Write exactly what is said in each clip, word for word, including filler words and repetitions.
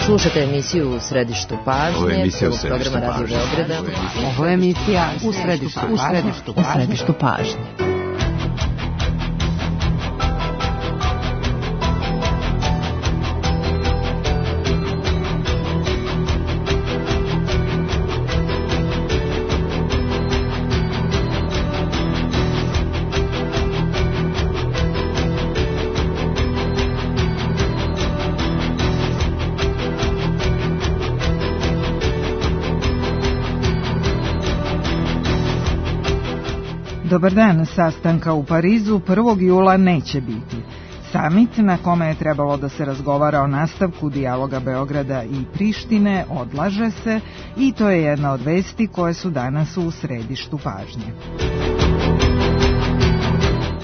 Slušate emisiju U središtu pažnje, prvog programa Radio Beograda. Ovo je emisija U središtu pažnje. U središtu pažnje. Dobar dan, sastanka u Parizu prvog jula neće biti. Samit na kome je trebalo da se razgovara o nastavku dijaloga Beograda i Prištine odlaže se i to je jedna od vesti koje su danas u središtu pažnje.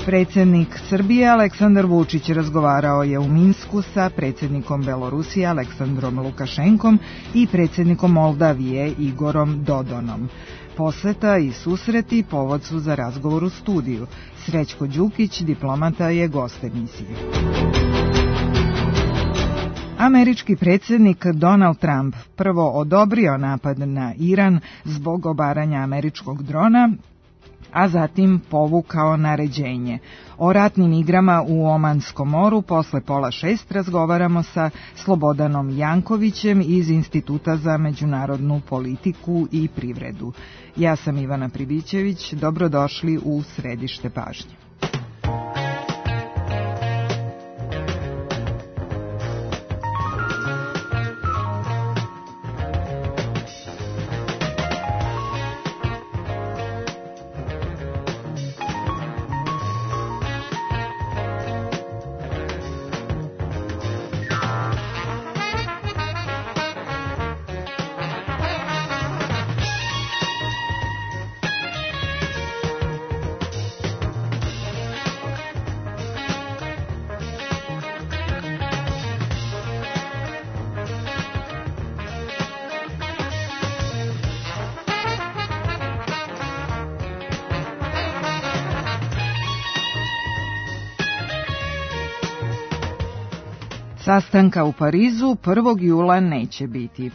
Predsjednik Srbije Aleksandar Vučić razgovarao je u Minsku sa predsjednikom Belorusije Aleksandrom Lukašenkom i predsjednikom Moldavije Igorom Dodonom. Poseta i susreti povod su za razgovor u studiju. Srećko Đukić, diplomata, je gost emisije. Američki predsjednik Donald Trump prvo odobrio napad na Iran zbog obaranja američkog drona, a zatim povukao naređenje. O ratnim igrama u Omanskom moru posle pola šest razgovaramo sa Slobodanom Jankovićem iz Instituta za međunarodnu politiku i privredu. Ja sam Ivana Pribićević, dobrodošli u središte pažnje. Sastanka u Parizu prvog jula neće biti.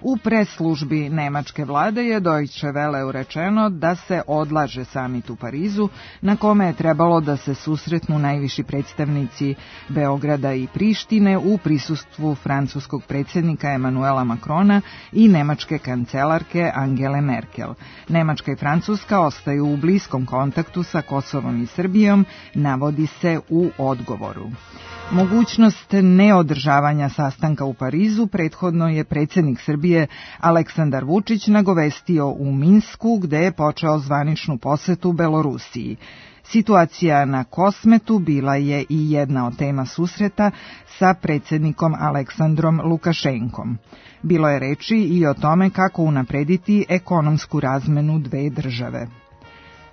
U press-službi nemačke vlade je Deutsche Welle rečeno da se odlaže samit u Parizu, na kome je trebalo da se susretnu najviši predstavnici Beograda i Prištine u prisustvu francuskog predsjednika Emanuela Macrona i nemačke kancelarke Angele Merkel. Nemačka i Francuska ostaju u bliskom kontaktu sa Kosovom i Srbijom, navodi se u odgovoru. Mogućnost neodržavanja sastanka u Parizu prethodno je predsjednik Srbije Aleksandar Vučić nagovestio u Minsku, gde je počeo zvaničnu posetu Belorusiji. Situacija na Kosmetu bila je i jedna od tema susreta sa predsjednikom Aleksandrom Lukašenkom. Bilo je reči i o tome kako unaprediti ekonomsku razmenu dve države.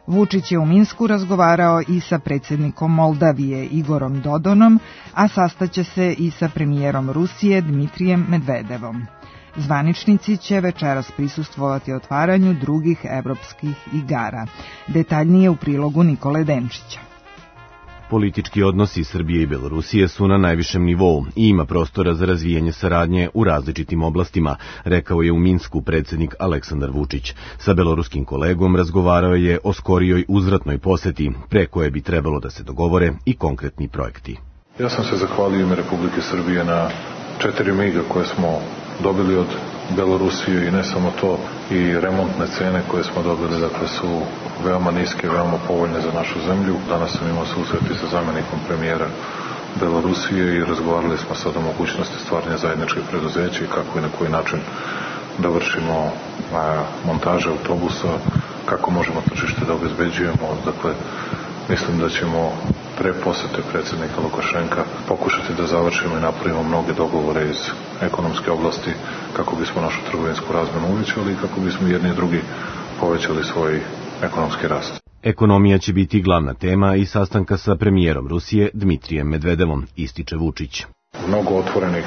Vučić je u Minsku razgovarao i sa predsjednikom Moldavije Igorom Dodonom, a sastaće se i sa premijerom Rusije Dmitrijem Medvedevom. Zvaničnici će večeras prisustvovati otvaranju drugih evropskih igara. Detaljnije u prilogu Nikole Denčića. Politički odnosi Srbije i Belorusije su na najvišem nivou i ima prostora za razvijanje saradnje u različitim oblastima, rekao je u Minsku predsjednik Aleksandar Vučić. Sa beloruskim kolegom razgovarao je o skorijoj uzvratnoj poseti, pre koje bi trebalo da se dogovore i konkretni projekti. Ja sam se zahvalio ime Republike Srbije na četiri miga koje smo dobili od Belorusije i ne samo to, i remontne cene koje smo dobili, dakle, su veoma niske, veoma povoljne za našu zemlju. Danas sam imao susreti sa zamjenikom premijera Belorusije i razgovarali smo sad o mogućnosti stvaranja zajedničkih preduzeća i kako i na koji način da vršimo a, montaže autobusa, kako možemo tržište da obezbeđujemo. Dakle, mislim da ćemo pre posete predsjednika Lukašenka pokušati da završimo i napravimo mnoge dogovore iz ekonomske oblasti kako bismo našu trgovinsku razmenu uvećali i kako bismo jedni i drugi povećali svoj ekonomski rast. Ekonomija će biti glavna tema i sastanka sa premijerom Rusije Dmitrijem Medvedevom, ističe Vučić. Mnogo otvorenih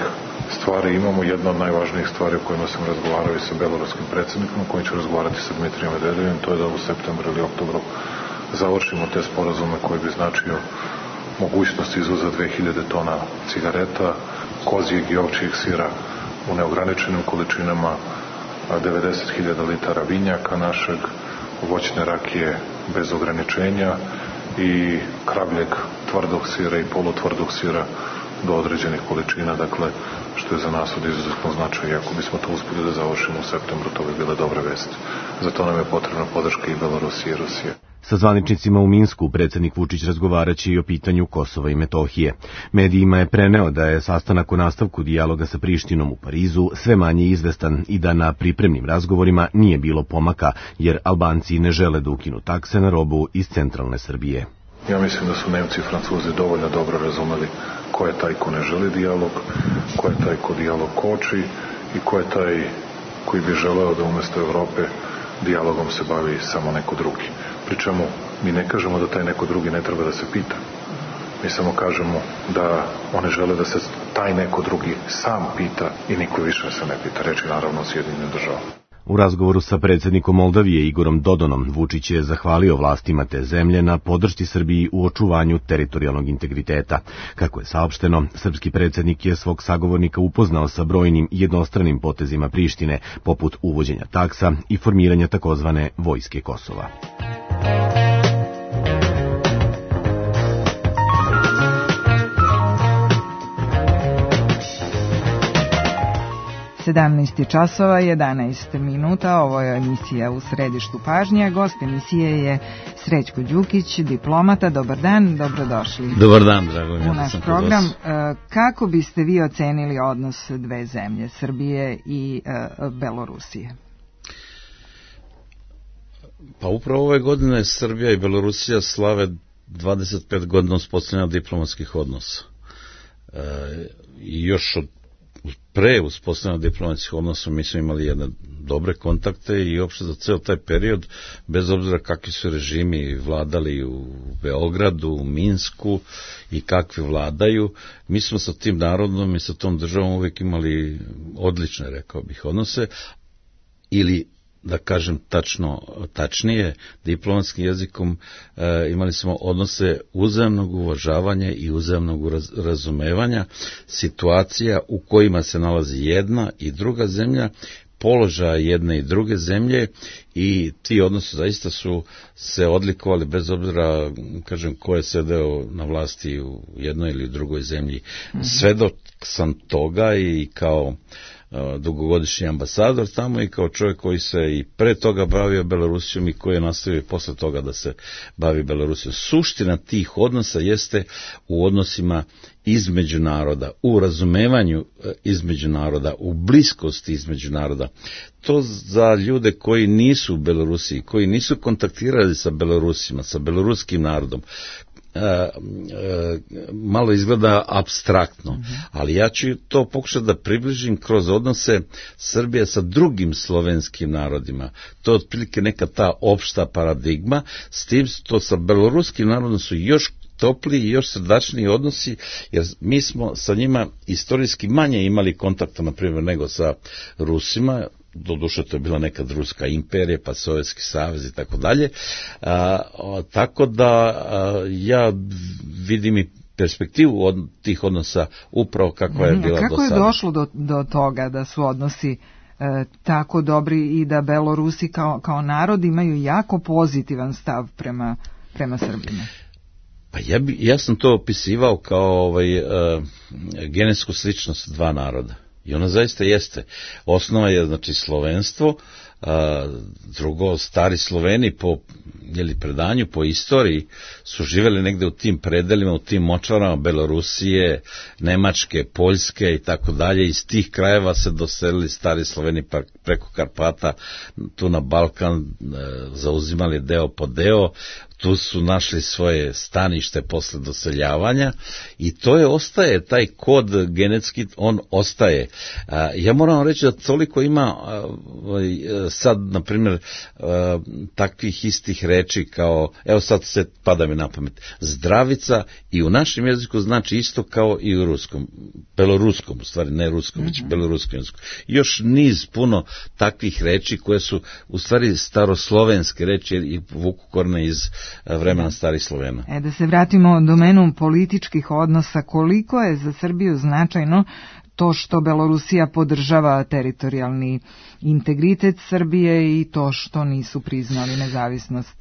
stvari imamo. Jedna od najvažnijih stvari o kojima sam razgovarao i sa beloruskim predsjednikom, koji ću razgovarati sa Dmitrijem Medvedevim, to je da u septembru ili oktobru završimo te sporazume koji bi značio mogućnost izvoza dve hiljade tona cigareta, kozijeg i ovčijeg sira u neograničenim količinama devedeset hiljada litara vinjaka našeg, voćne rakije bez ograničenja i kravljeg tvrdog sira i polutvrdog sira do određenih količina, dakle, što je za nas od izuzetno značaja. Ako bismo to uspeli da završimo u septembru, to bi bile dobre vesti. Zato nam je potrebna podrška i Belorusije i Rusije. Sa zvaničnicima u Minsku predsjednik Vučić razgovaraće i o pitanju Kosova i Metohije. Medijima je preneo da je sastanak o nastavku dijaloga sa Prištinom u Parizu sve manje izvestan i da na pripremnim razgovorima nije bilo pomaka, jer Albanci ne žele da ukinu takse na robu iz centralne Srbije. Ja mislim da su Nemci i Francuzi dovoljno dobro razumeli ko je taj ko ne želi dijalog, ko je taj ko dijalog koči i ko je taj koji bi želeo da umesto Evrope dijalogom se bavi samo neko drugi. Pričemu mi ne kažemo da taj neko drugi ne treba da se pita. Mi samo kažemo da one žele da se taj neko drugi sam pita i niko više se ne pita. Reči naravno o Sjedinjenim državama. U razgovoru sa predsjednikom Moldavije Igorom Dodonom, Vučić je zahvalio vlastima te zemlje na podršci Srbiji u očuvanju teritorijalnog integriteta. Kako je saopšteno, srpski predsjednik je svog sagovornika upoznao sa brojnim jednostranim potezima Prištine, poput uvođenja taksa i formiranja takozvane vojske Kosova. sedamnaest časova jedanaest minuta, ovo je emisija U središtu pažnje. Gost emisije je Srećko Đukić, diplomata. Dobar dan, dobrodošli. Dobar dan, drago mi je u naš program. Kako biste vi ocenili odnos dve zemlje, Srbije i Belorusije? Pa upravo ove godine Srbija i Belorusija slave dvadeset pet godina uspostavljanja diplomatskih odnosa. E, I još od pre uspostavljanja diplomatskih odnosa mi smo imali jedne dobre kontakte i uopšte za ceo taj period, bez obzira kakvi su režimi vladali u Beogradu, u Minsku i kakvi vladaju, mi smo sa tim narodom i sa tom državom uvijek imali odlične, rekao bih, odnose, ili da kažem tačno, tačnije, diplomatskim jezikom e, imali smo odnose uzajamnog uvažavanja i uzajamnog raz, razumevanja situacija u kojima se nalazi jedna i druga zemlja, položaja jedne i druge zemlje, i ti odnosi zaista su se odlikovali bez obzira, kažem, ko je sedeo na vlasti u jednoj ili drugoj zemlji. Mm-hmm. Svedok sam toga i kao dugogodišnji ambasador tamo i kao čovjek koji se i pre toga bavio Belorusijom i koji je nastavio posle toga da se bavi Belorusijom. Suština tih odnosa jeste u odnosima između naroda, u razumevanju između naroda, u bliskosti između naroda. To za ljude koji nisu u Belorusiji, koji nisu kontaktirali sa Belorusima, sa beloruskim narodom, E, e, malo izgleda apstraktno, mm-hmm. ali ja ću to pokušati da približim kroz odnose Srbije sa drugim slovenskim narodima. To je otprilike neka ta opšta paradigma, s tim što sa beloruskim narodom su još topliji i još srdačniji odnosi, jer mi smo sa njima istorijski manje imali kontakta, na primjer, nego sa Rusima. Doduše to je bila nekad Ruska imperija, pa Sovjetski savez i tako dalje. Tako da a, ja vidim i perspektivu od tih odnosa upravo kakva je bila do sada. Kako je došlo do, do toga da su odnosi e, tako dobri i da Belorusi kao, kao narod imaju jako pozitivan stav prema, prema Srbima? Pa ja, bi, ja sam to opisivao kao ovaj, e, genetsku sličnost dva naroda. I ona zaista jeste. Osnova je, znači, slovenstvo, a, drugo, stari Sloveni po jeli, predanju, po istoriji, su živjeli negde u tim predelima, u tim močvarama Belorusije, Nemačke, Poljske i tako dalje. Iz tih krajeva se doselili stari Sloveni preko Karpata, tu na Balkan, e, zauzimali deo po deo, tu su našli svoje stanište posle doseljavanja i to je ostaje, taj kod genetski, on ostaje. Ja moram reći da toliko ima sad, na primjer, takvih istih reči kao, evo sad se pada mi na pamet, zdravica i u našem jeziku znači isto kao i u ruskom, beloruskom, u stvari ne ruskom, već beloruskom jeziku. Još niz puno takvih reči koje su u stvari staroslovenske reči i vuku korene iz vremena starih Slovena. E, da se vratimo domenu političkih odnosa, koliko je za Srbiju značajno to što Belorusija podržava teritorijalni integritet Srbije i to što nisu priznali nezavisnost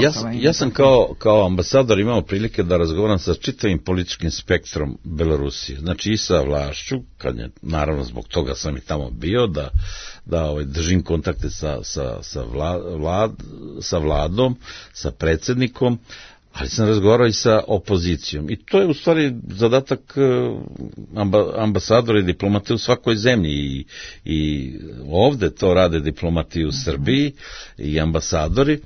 Kosova. Ja, ja sam kao, kao ambasador imao prilike da razgovaram sa čitavim političkim spektrom Belorusije, znači i sa vlašću, kad je, naravno zbog toga sam i tamo bio, da, da ovaj, držim kontakte sa, sa, sa, vla, vlad, sa vladom, sa predsjednikom, ali sam razgovarao i sa opozicijom. I to je u stvari zadatak amba, ambasadora i diplomate u svakoj zemlji. I, i ovde to rade diplomati u Srbiji i ambasadori.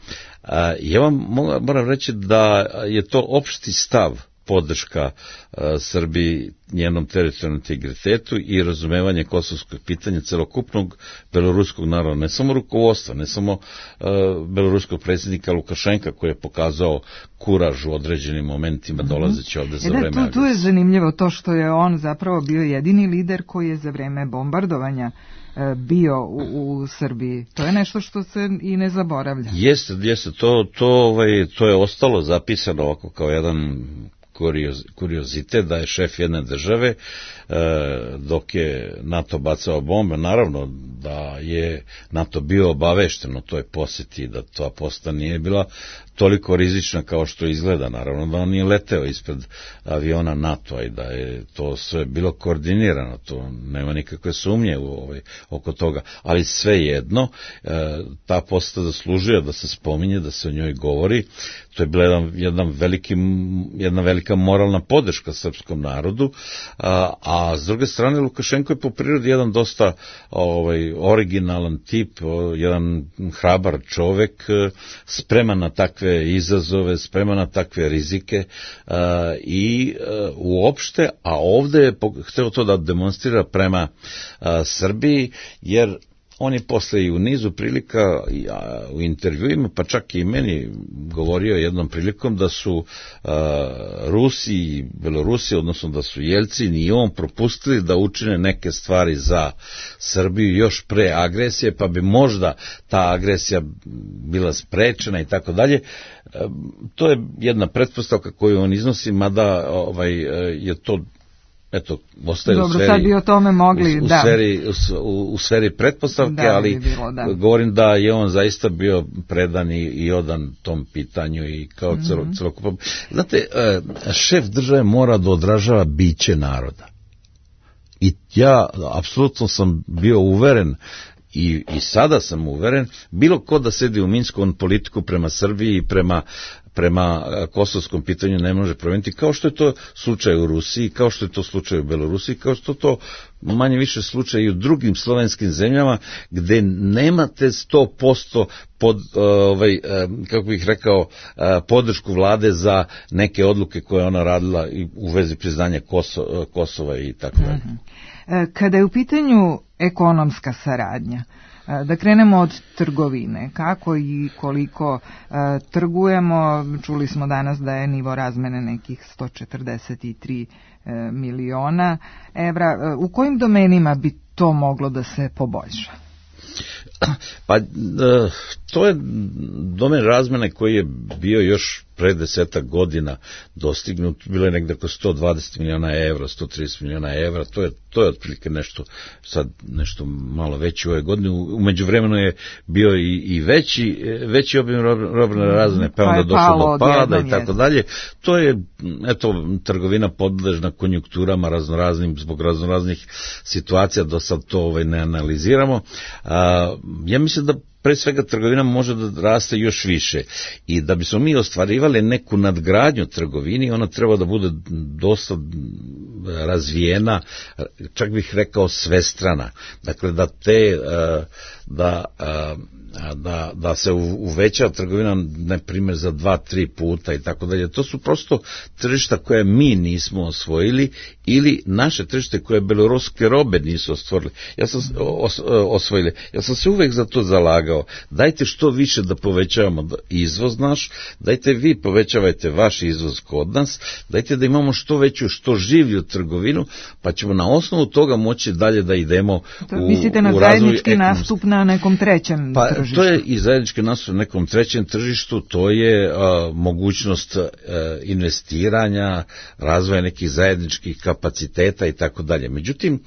A, ja vam moram reći da je to opšti stav, podrška a, Srbiji, njenom teritorijalnom integritetu i razumevanje kosovskog pitanja celokupnog beloruskog naroda, ne samo rukovodstva, ne samo uh, beloruskog predsjednika Lukašenka koji je pokazao kuraž u određenim momentima dolazeći ovde za e da, vreme agresije. Tu, tu je zanimljivo to što je on zapravo bio jedini lider koji je za vreme bombardovanja uh, bio u, u Srbiji. To je nešto što se i ne zaboravlja. Jeste, jeste, to, to, ovaj, to je ostalo zapisano ovako kao jedan kurioz, kuriozitet da je šef jedne države e, dok je NATO bacao bombe, naravno da je NATO bio obavešten o toj posjeti, da ta poseta nije bila toliko rizična kao što izgleda, naravno da on nije leteo ispred aviona NATO-a i da je to sve bilo koordinirano, to nema nikakve sumnje u ovaj, oko toga, ali svejedno e, ta poseta zaslužuje da se spominje, da se o njoj govori. To je bila jedan, jedan veliki, jedna velika moralna podrška srpskom narodu, a, a s druge strane Lukašenko je po prirodi jedan dosta ovaj, originalan tip, jedan hrabar čovek, spreman na takve izazove, spreman na takve rizike a, i a, uopšte, a ovde je hteo to da demonstrira prema a, Srbiji, jer on je posle i u nizu prilika ja, u intervjuima, pa čak i meni govorio jednom prilikom da su a, Rusi i Belorusi, odnosno da su Jelcin i on propustili da učine neke stvari za Srbiju još pre agresije, pa bi možda ta agresija bila sprečena i tako dalje. To je jedna pretpostavka koju on iznosi, mada ovaj, je to eto, ostaje Dobro, u sferi, sad bi o tome mogli, u, u da. Sferi, u, u sferi pretpostavke, da, ali bi bilo, da. govorim da je on zaista bio predan i, i odan tom pitanju i kao mm-hmm. celo, celokupan. Znate, šef države mora da odražava biće naroda. I ja apsolutno sam bio uveren I, i sada sam uveren, bilo ko da sedi u Minsku, on politiku prema Srbiji i prema, prema kosovskom pitanju ne može promijeniti, kao što je to slučaj u Rusiji, kao što je to slučaj u Belorusiji, kao što je to manje više slučaj i u drugim slovenskim zemljama, gde nemate sto posto pod, ovaj, kako bih rekao, podršku vlade za neke odluke koje ona radila u vezi priznanja Koso, Kosova i tako dalje. Kada je u pitanju ekonomska saradnja, da krenemo od trgovine, kako i koliko trgujemo, čuli smo danas da je nivo razmene nekih sto četrdeset tri miliona evra, u kojim domenima bi to moglo da se poboljša? Pa to je domen razmene koji je bio još pre desetak godina dostignut, bilo je negde oko sto dvadeset miliona evra, sto trideset miliona evra, to je, to je otprilike nešto, sad nešto malo veći u ove godine, umeđu vremenu je bio i, i veći, veći obim robne razmene, pa onda došlo do pada i tako dalje. To je, eto, trgovina podležna konjunkturama raznoraznim, zbog raznoraznih situacija, do sad to ovaj, ne analiziramo. A, ja mislim da pre svega trgovina može da raste još više i da bismo mi ostvarivali neku nadgradnju trgovini, ona treba da bude dosta razvijena, čak bih rekao svestrana. Dakle, da te da, da, da se uveća trgovina, ne primjer, za dva, tri puta i tako dalje. To su prosto tržišta koje mi nismo osvojili ili naše tržište koje beloruske robe nisu osvojili. Ja sam, os, osvojili. Ja sam se uvek za to zalagao. Dajte što više da povećavamo izvoz naš, dajte vi povećavajte vaš izvoz kod nas, dajte da imamo što veću, što življu trgovinu, pa ćemo na osnovu toga moći dalje da idemo to, u, mislite na u zajednički nastup na nekom trećem pa, tržištu? tržištu? To je i zajednički nastup na nekom trećem tržištu, to je a, mogućnost a, investiranja, razvoja nekih zajedničkih kapaciteta i tako dalje. Međutim,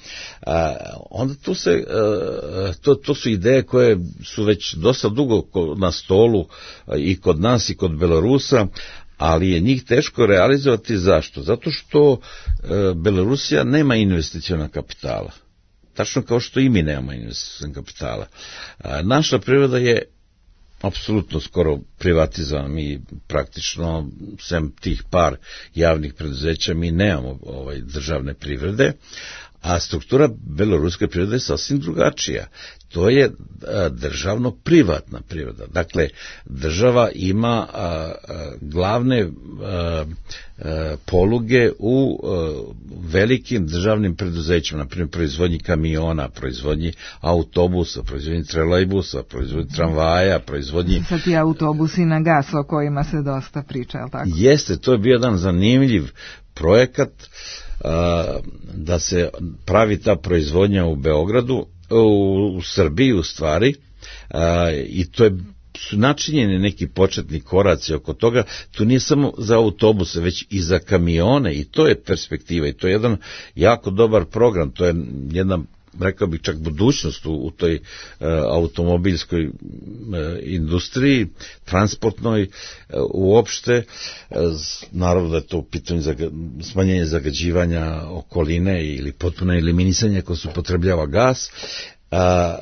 a, onda tu se, a, to, to su ideje koje su već dosta dugo na stolu a, i kod nas i kod Belorusa, ali je njih teško realizovati. Zašto? Zato što e, Belorusija nema investiciona kapitala. Tačno kao što i mi nemamo investiciona kapitala. A, naša privreda je apsolutno skoro privatizovana. Mi praktično, sem tih par javnih preduzeća, mi nemamo ovaj, državne privrede, a struktura beloruske privrede je sasvim drugačija. To je državno-privatna privreda. Dakle, država ima a, a, glavne a, a, poluge u a, velikim državnim preduzećima, na primjer proizvodnji kamiona, proizvodnji autobusa, proizvodnji trolejbusa, proizvodnji tramvaja, proizvodnji... Sad ti autobusi na gas o kojima se dosta priča, je li tako? Jeste, to je bio jedan zanimljiv projekat a, da se pravi ta proizvodnja u Beogradu, u, u Srbiji u stvari, a, i to je su načinjeni neki početni koraci oko toga. Tu nije samo za autobuse, već i za kamione, i to je perspektiva, i to je jedan jako dobar program, to je jedna, rekao bih, čak budućnost u, u toj e, automobilskoj e, industriji, transportnoj e, uopšte. E, naravno da je to u pitanju zaga, smanjenje zagađivanja okoline ili potpuno eliminisanje ako se upotrebljava gas. A,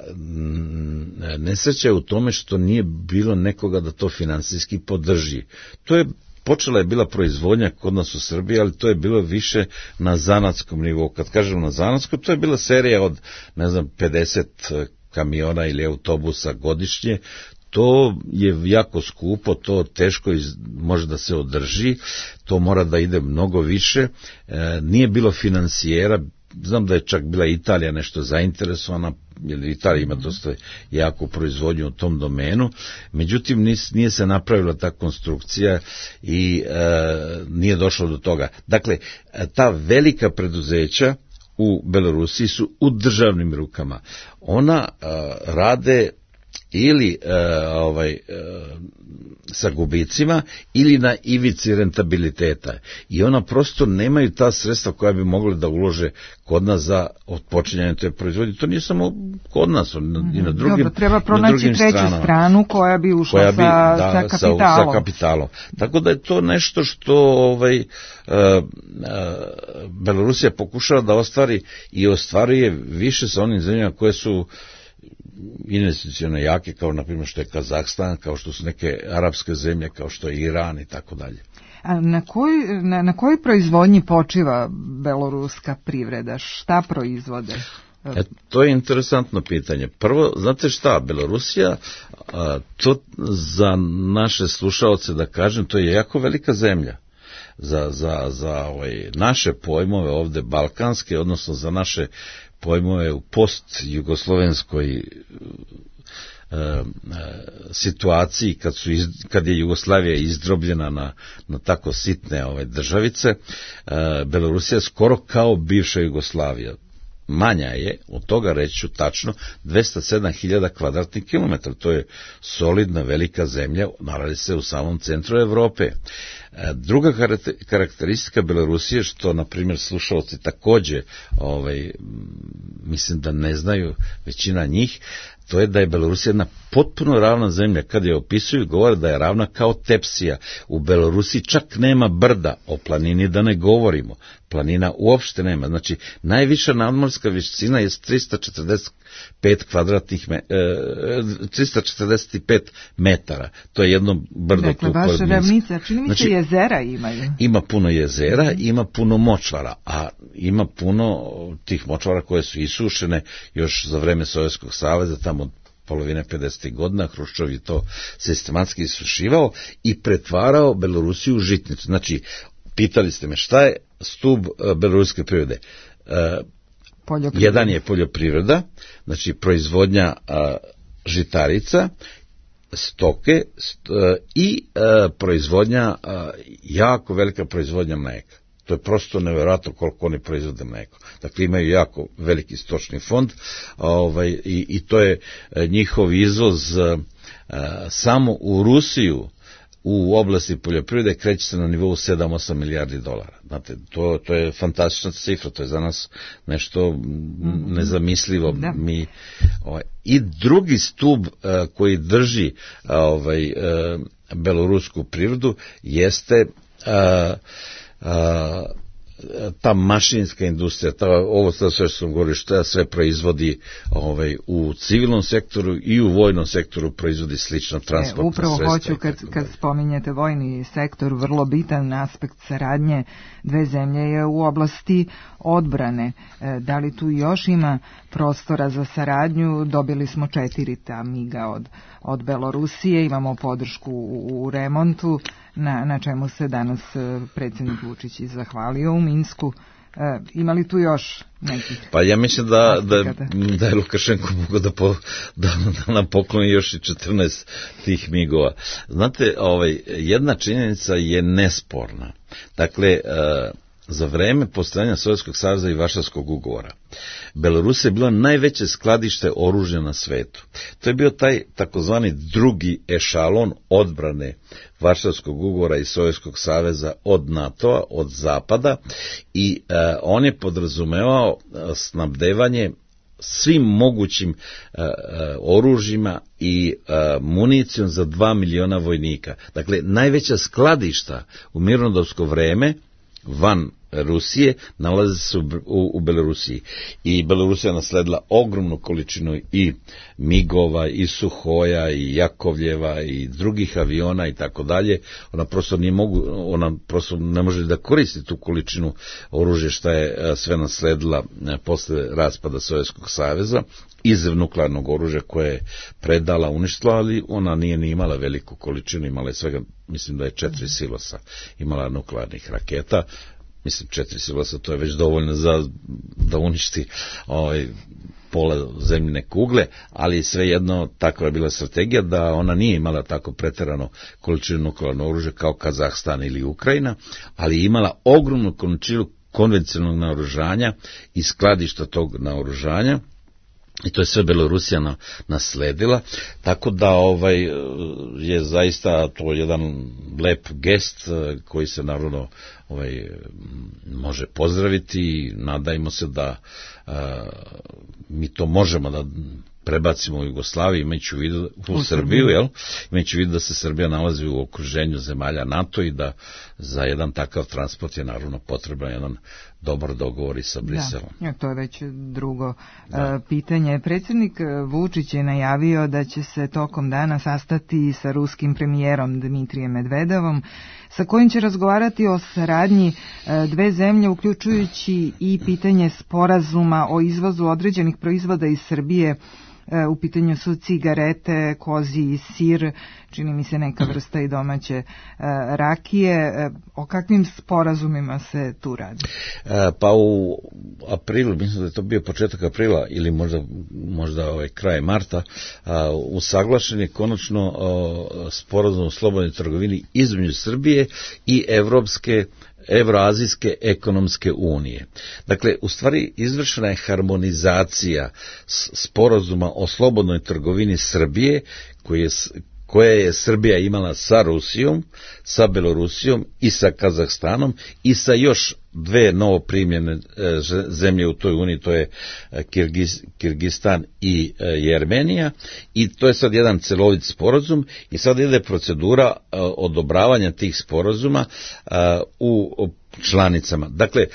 nesreća je u tome što nije bilo nekoga da to finansijski podrži. To je počela je bila proizvodnja kod nas u Srbiji, ali to je bilo više na zanatskom nivou. Kad kažem na zanatskom, to je bila serija od, ne znam, pedeset kamiona ili autobusa godišnje. To je jako skupo, to teško iz, može da se održi, to mora da ide mnogo više. E, nije bilo finansijera. Znam da je čak bila Italija nešto zainteresovana, jer Italija ima dosta jaku proizvodnju u tom domenu, međutim nis, nije se napravila ta konstrukcija i e, nije došlo do toga. Dakle, ta velika preduzeća u Belorusiji su u državnim rukama. Ona e, rade ili e, ovaj, e, sa gubicima ili na ivici rentabiliteta, i ona prosto nemaju ta sredstva koja bi mogli da ulože kod nas za otpočinjanje te proizvodnje. To nije samo kod nas, mm-hmm. i na drugim, Dobro, treba pronaći treću stranama, stranu koja bi ušla koja bi, sa, da, sa, kapitalom. sa kapitalom. Tako da je to nešto što ovaj, uh, uh, Belorusija pokušava da ostvari i ostvaruje više sa onim zemljama koje su investicione jake, kao na primjer što je Kazahstan, kao što su neke arapske zemlje, kao što je Iran i tako dalje. A na kojoj na, na kojoj proizvodnji počiva beloruska privreda? Šta proizvode? E, to je interesantno pitanje. Prvo, znate šta, Belorusija, a, to za naše slušaoce da kažem, to je jako velika zemlja. Za, za, za ovaj, naše pojmove ovde balkanske, odnosno za naše pojmove u post-jugoslovenskoj e, e, situaciji, kad, su iz, kad je Jugoslavija izdrobljena na, na tako sitne ove državice, e, Belorusija skoro kao bivša Jugoslavija. Manja je, od toga reći ću tačno, dvesta sedam hiljada kvadratnih kilometara. To je solidna velika zemlja, nalazi se u samom centru Evrope. Druga karakteristika Belorusije, što, na primjer, slušalci takođe, ovaj, mislim da ne znaju većina njih, to je da je Belorusija jedna potpuno ravna zemlja. Kad je opisuju, govore da je ravna kao tepsija. U Belorusiji čak nema brda, o planini da ne govorimo. Planina uopšte nema. Znači, najviša nadmorska visina je trista četrdeset pet kvadratnih me, e, trista četrdeset pet metara. To je jedno brdo. Dakle, baš ravnica, čini mi se, znači, jezera imaju. Ima puno jezera, mm-hmm. ima puno močvara, a ima puno tih močvara koje su isušene još za vreme Sovjetskog saveza, tamo od polovine pedesetih godina. Hruščov je to sistematski isušivao i pretvarao Belorusiju u žitnicu. Znači, pitali ste me šta je stub beloruske privrede. E, jedan je poljoprivreda, znači proizvodnja a, žitarica, stoke st, a, i a, proizvodnja, a, jako velika proizvodnja mleka. To je prosto nevjerojatno koliko oni proizvode mlijeko. Dakle, imaju jako veliki stočni fond, ovaj, i, i to je njihov izvoz a, samo u Rusiju u oblasti poljoprivrede kreće se na nivou sedam do osam milijardi dolara. Znate, to, to je fantastična cifra, to je za nas nešto nezamislivo. Da. Mi, ovaj, i drugi stub a, koji drži a, ovaj, a, belorusku prirodu jeste a, a, ta mašinska industrija, ta, ovo sve što sam govorio, što sve proizvodi ovaj, u civilnom sektoru i u vojnom sektoru proizvodi slično transportno sredstvo. E, upravo hoću, kad, kad spominjete vojni sektor, vrlo bitan aspekt saradnje dve zemlje je u oblasti odbrane. E, da li tu još ima prostora za saradnju? Dobili smo četiri ta miga od, od Belorusije, imamo podršku u, u remontu, Na, na čemu se danas predsjednik Vučić i zahvalio u Minsku. E, ima li tu još nekih? Pa ja mislim da, da, da je Lukašenko mogao da, po, da, da nam pokloni još i četrnaest tih migova. Znate, ovaj, jedna činjenica je nesporna. Dakle, e, za vreme postojanja Sovjetskog saveza i Varšavskog ugovora, Belorusija je bila najveće skladište oružja na svetu. To je bio taj takozvani drugi ešalon odbrane Varšavskog ugovora i Sovjetskog saveza od NATO-a, od zapada, i e, on je podrazumevao snabdevanje svim mogućim e, e, oružjima i e, municijom za dva miliona vojnika. Dakle, najveća skladišta u mirnodopsko vreme van Rusije nalaze se u, u, u Belorusiji. I Belorusija nasledila ogromnu količinu i migova, i Suhoja, i Jakovljeva, i drugih aviona i tako dalje. Ona prosto nije mogu, ona prosto ne može da koristi tu količinu oružja što je sve nasledila posle raspada Sovjetskog saveza iz nuklearnog oružja koje je predala, uništila, ali ona nije ni imala veliku količinu, imala je svega, mislim da je četiri silosa imala nuklearnih raketa. Mislim, četiri silosa, to je već dovoljno za da uništi ovaj, pola zemljine kugle, ali svejedno takva je bila strategija da ona nije imala tako preterano količinu nuklearnog oružja kao Kazahstan ili Ukrajina, ali imala ogromnu količinu konvencionalnog naoružanja i skladišta tog naoružanja. I to je sve Belorusija nasledila, tako da ovaj je zaista to jedan lep gest koji se naravno ovaj može pozdraviti i nadajmo se da a, mi to možemo da prebacimo u Jugoslaviju, imajući u vidu u, u Srbiju, jel? Imajući u vidu da se Srbija nalazi u okruženju zemalja NATO i da za jedan takav transport je naravno potreban jedan dobar dogovor i sa Briselom. Da, to je već drugo da. pitanje. Predsjednik Vučić je najavio da će se tokom dana sastati sa ruskim premijerom Dmitrijem Medvedevom, sa kojim će razgovarati o saradnji dve zemlje, uključujući i pitanje sporazuma o izvozu određenih proizvoda iz Srbije. U pitanju su cigarete, koziji sir, čini mi se neka vrsta i domaće e, rakije. E, o kakvim sporazumima se tu radi? E, pa u aprilu, mislim da je to bio početak aprila ili možda, možda ovaj kraj marta, a, usaglašen je konačno a, sporazum o slobodnoj trgovini između Srbije i Evropske Evroazijske ekonomske unije. Dakle, u stvari izvršena je harmonizacija sporazuma o slobodnoj trgovini Srbije, koji je koje je Srbija imala sa Rusijom, sa Belorusijom i sa Kazahstanom i sa još dve novoprimljene zemlje u toj uniji, to je Kirgiz, Kirgistan i Jermenija, i to je sad jedan celovit sporazum i sad ide procedura odobravanja tih sporazuma u članicama. Dakle,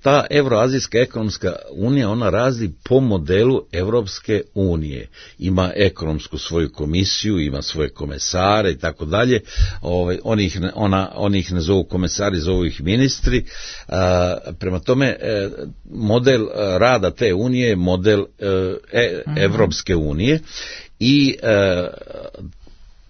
ta Evroazijska ekonomska unija, ona razli po modelu Evropske unije. Ima ekonomsku svoju komisiju, ima svoje komesare i tako dalje. Oni ih, ona, oni ih ne zovu komesari, zovu ih ministri. A, prema tome, model rada te unije je model e, Evropske unije i e,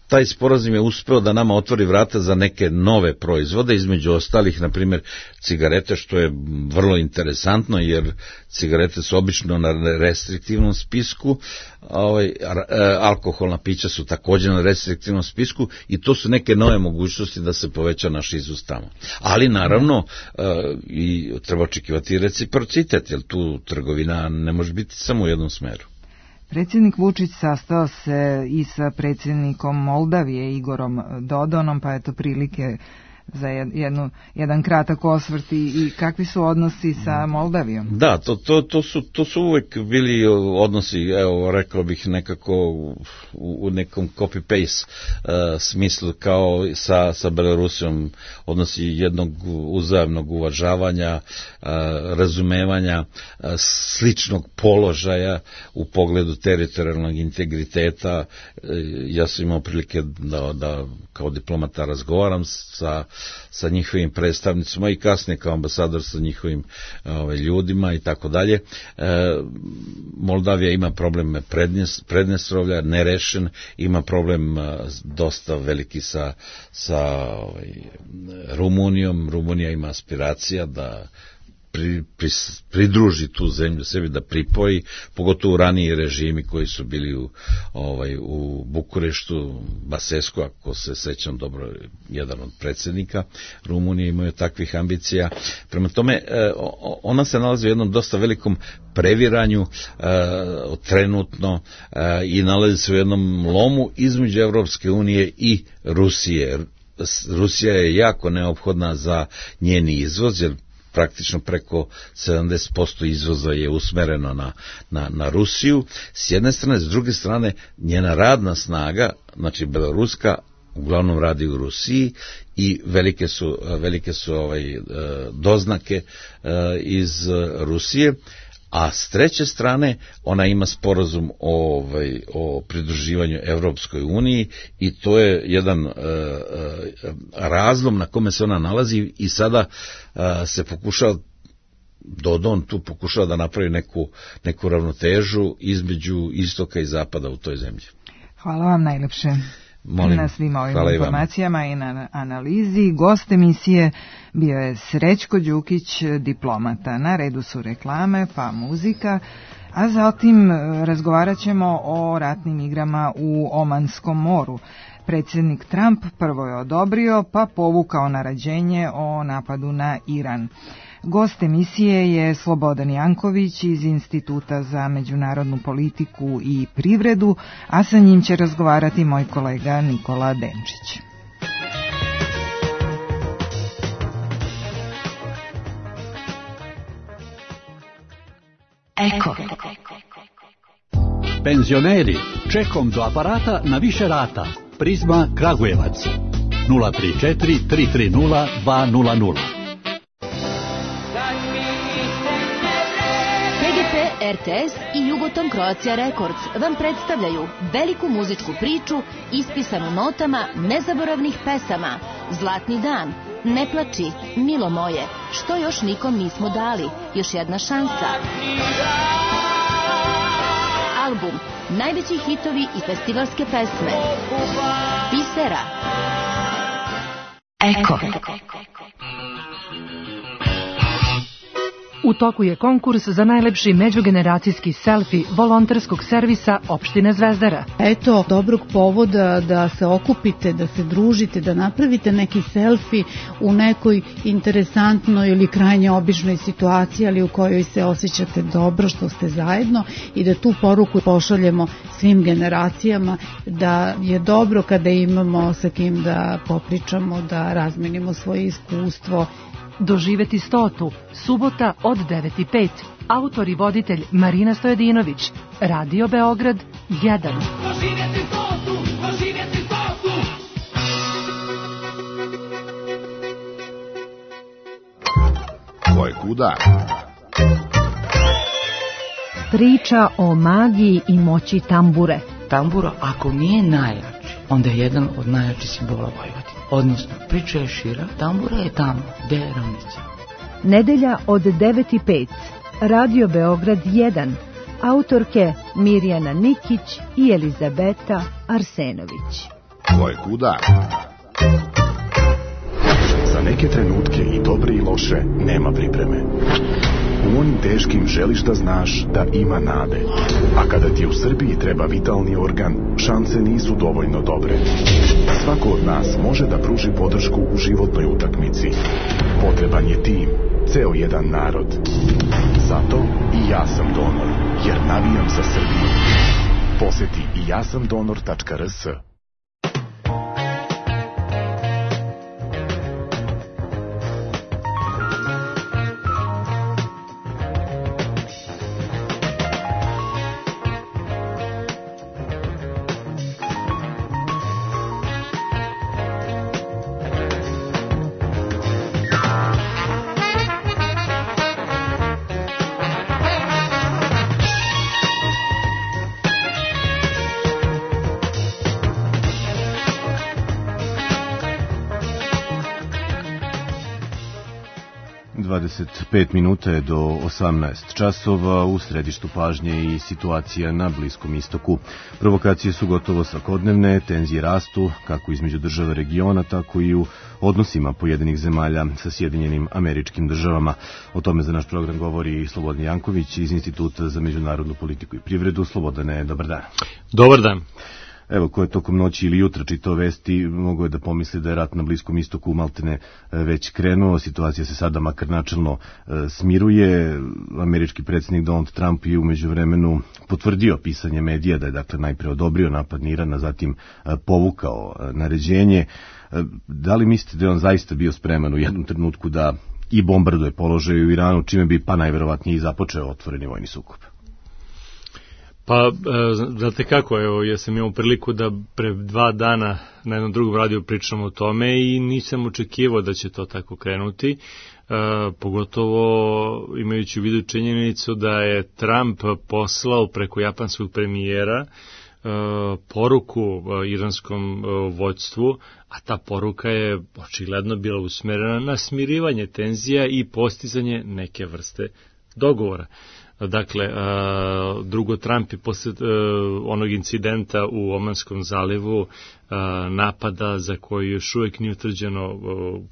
taj sporazum je uspeo da nama otvori vrata za neke nove proizvode, između ostalih, na primjer, cigarete, što je vrlo interesantno, jer cigarete su obično na restriktivnom spisku, ovaj, alkoholna pića su također na restriktivnom spisku i to su neke nove mogućnosti da se poveća naš izvoz tamo. Ali naravno i treba očekivati reciprocitet, jer tu trgovina ne može biti samo u jednom smeru. Predsjednik Vučić sastao se i sa predsjednikom Moldavije Igorom Dodonom, pa eto prilike za jednu, jedan kratak osvrt i kakvi su odnosi sa Moldavijom? Da, to, to, to, su, to su uvek bili odnosi, evo, rekao bih nekako u, u nekom copy-paste uh, smislu kao sa, sa Belorusijom, odnosi jednog uzajamnog uvažavanja, uh, razumevanja, uh, sličnog položaja u pogledu teritorijalnog integriteta. Uh, ja sam imao prilike da, da kao diplomata razgovaram sa sa njihovim predstavnicima i kasnije kao ambasador sa njihovim ove, ljudima i tako dalje. Moldavija ima problem Prednjestrovlja, nerešen, ima problem a, dosta veliki sa, sa ovaj, Rumunijom. Rumunija ima aspiracija da Pri, pri, pridruži tu zemlju sebi, da pripoji, pogotovo raniji režimi koji su bili u, ovaj, u Bukureštu, Basescu, ako se sećam dobro, jedan od predsjednika Rumunije imaju takvih ambicija. Prema tome, ona se nalazi u jednom dosta velikom previranju trenutno i nalazi se u jednom lomu između Evropske unije i Rusije. Rusija je jako neophodna za njeni izvoz, jer praktično preko sedamdeset posto izvoza je usmereno na, na, na Rusiju, s jedne strane, s druge strane, njena radna snaga, znači beloruska, uglavnom radi u Rusiji i velike su, velike su ovaj, doznake iz Rusije, a s treće strane ona ima sporazum o, ovaj, o pridruživanju Evropskoj uniji i to je jedan uh, uh, razlom na kome se ona nalazi i sada uh, se pokušava, Dodon tu pokušava da napravi neku, neku ravnotežu između istoka i zapada u toj zemlji. Hvala vam najlepše. Molim, na svim ovim informacijama i na analizi. Gost emisije bio je Srećko Đukić, diplomata. Na redu su reklame, pa muzika, a zatim razgovarat ćemo o ratnim igrama u Omanskom moru. Predsjednik Trump prvo je odobrio, pa povukao naređenje o napadu na Iran. Gost emisije je Slobodan Janković iz Instituta za međunarodnu politiku i privredu, a sa njim će razgovarati moj kolega Nikola Denčić. Eko. Penzioneri, čekom do aparata na više rata. Prizma Kragujevac. nula tri četiri tri tri nula dva nula nula. R T S i Jugoton Croatia Records vam predstavljaju veliku muzičku priču ispisanu notama nezaboravnih pesama. Zlatni dan, Ne plači, Milo moje, Što još nikom nismo dali, Još jedna šansa. Album, najveći hitovi i festivalske pesme. Bisera. Eko. U toku je konkurs za najlepši međugeneracijski selfi volonterskog servisa opštine Zvezdara. Eto, dobrog povoda da se okupite, da se družite, da napravite neki selfi u nekoj interesantnoj ili krajnje običnoj situaciji, ali u kojoj se osjećate dobro što ste zajedno i da tu poruku pošaljemo svim generacijama da je dobro kada imamo sa kim da popričamo, da razmenimo svoje iskustvo. Doživeti stotu, subota od devet i pet. Autor i voditelj Marina Stojedinović. Radio Beograd jedan. Doživeti stotu, doživeti stotu. Ko je kuda? Priča o magiji i moći tambure. Tambura, ako nije najjači, onda je jedan od najjačih simbola Vojvodine. Odnosno, priča je šira, tambura je tamo, gde je ravnica. Nedelja od devet i pet. Radio Beograd jedan. Autorke Mirjana Nikić i Elizabeta Arsenović. Ko je kuda? Za neke trenutke i dobre i loše nema pripreme. U onim teškim želiš da znaš da ima nade. A kada ti u Srbiji treba vitalni organ, šanse nisu dovoljno dobre. Svako od nas može da pruži podršku u životnoj utakmici. Potreban je tim, ceo jedan narod. Zato i ja sam donor, jer navijam za Srbiju. Poseti i ja sam donor tačka r s. dvadeset pet minuta je do osamnaest časova, u središtu pažnje i situacija na Bliskom istoku. Provokacije su gotovo svakodnevne, tenzije rastu, kako između država regiona, tako i u odnosima pojedinih zemalja sa Sjedinjenim Američkim Državama. O tome za naš program govori Slobodan Janković iz Instituta za međunarodnu politiku i privredu. Slobodane, dobar dan. Dobar dan. Evo, ko je tokom noći ili jutra čitao vesti, mogo je da pomisli da je rat na Bliskom istoku maltene već krenuo. Situacija se sada makar načelno smiruje. Američki predsjednik Donald Trump je umeđu vremenu potvrdio pisanje medija da je dakle najpre odobrio napad na Iran, a zatim povukao naređenje. Da li mislite da je on zaista bio spreman u jednom trenutku da i bombarduje položaj u Iranu, čime bi pa najverovatnije i započeo otvoreni vojni sukob? Pa, znate kako, evo, ja sam imao priliku da pre dva dana na jednom drugom radiju pričamo o tome i nisam očekivao da će to tako krenuti, e, pogotovo imajući u vidu činjenicu da je Trump poslao preko japanskog premijera e, poruku e, iranskom e, vođstvu, a ta poruka je očigledno bila usmerena na smirivanje tenzija i postizanje neke vrste dogovora. Dakle, drugo, Trump je posle onog incidenta u Omanskom zalivu, napada za koji još uvijek nije utvrđeno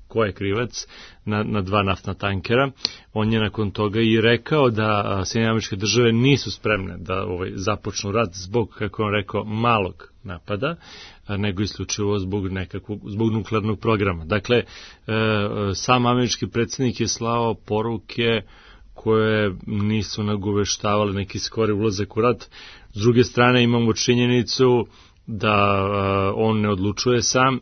ko je krivac, na, na dva naftna tankera. On je nakon toga i rekao da Sjedinjene Američke Države nisu spremne da ovaj, započnu rat zbog, kako on rekao, malog napada, nego isključivo zbog nekakvog, zbog nuklearnog programa. Dakle, sam američki predsjednik je slao poruke koje nisu nagoveštavale neki skori ulazak u rat. S druge strane imamo činjenicu da uh, on ne odlučuje sam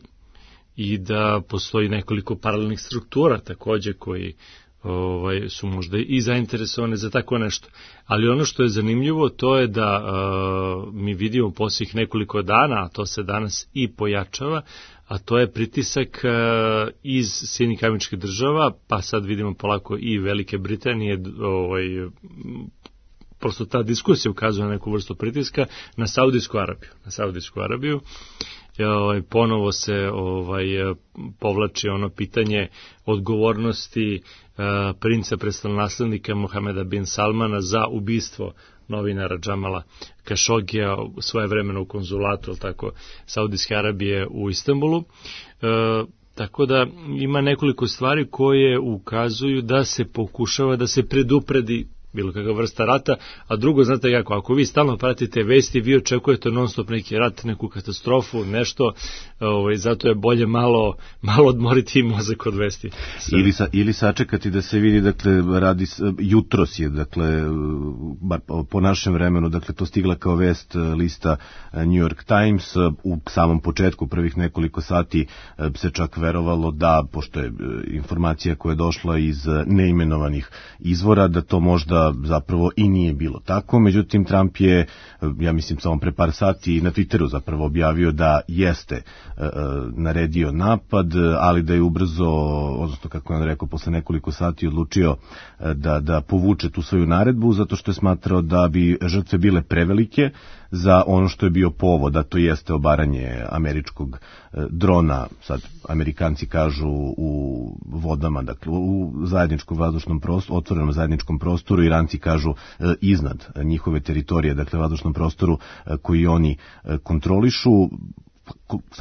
i da postoji nekoliko paralelnih struktura takođe koji ovaj, su možda i zainteresovane za tako nešto. Ali ono što je zanimljivo to je da uh, mi vidimo posljednjih nekoliko dana, a to se danas i pojačava, a to je pritisak uh, iz Sjedinjenih Američkih Država, pa sad vidimo polako i Velike Britanije, ovaj, prosto ta diskusija ukazuje na neku vrstu pritiska na Saudijsku Arabiju. Na Saudijsku Arabiju ovaj, ponovo se ovaj, povlači ono pitanje odgovornosti uh, princa prestolonaslednika Mohameda bin Salmana za ubistvo novinara Džamala Kašogija svoje vremeno u konzulatu, ili tako, Saudijske Arabije u Istanbulu. E, tako da ima nekoliko stvari koje ukazuju da se pokušava da se predupredi bilo kakva vrsta rata, a drugo, znate kako, ako vi stalno pratite vesti, vi očekujete non stop neki rat, neku katastrofu, nešto, ovaj, zato je bolje malo, malo odmoriti mozak od vesti. Ili, sa, ili sačekati da se vidi, dakle, radi, jutros je, dakle, bar po našem vremenu, dakle, to stigla kao vest lista New York Times, u samom početku prvih nekoliko sati se čak verovalo da, pošto je informacija koja je došla iz neimenovanih izvora, da to možda zapravo i nije bilo tako. Međutim, Trump je, ja mislim, samo pre par sati na Twitteru zapravo objavio da jeste e, naredio napad, ali da je ubrzo, odnosno kako je on rekao, posle nekoliko sati odlučio da, da povuče tu svoju naredbu, zato što je smatrao da bi žrtve bile prevelike za ono što je bio povod, a to jeste obaranje američkog drona, sad Amerikanci kažu u vodama, dakle u zajedničkom vazdušnom prostoru, otvorenom zajedničkom prostoru, Iranci kažu iznad njihove teritorije, dakle vazdušnom prostoru koji oni kontrolišu.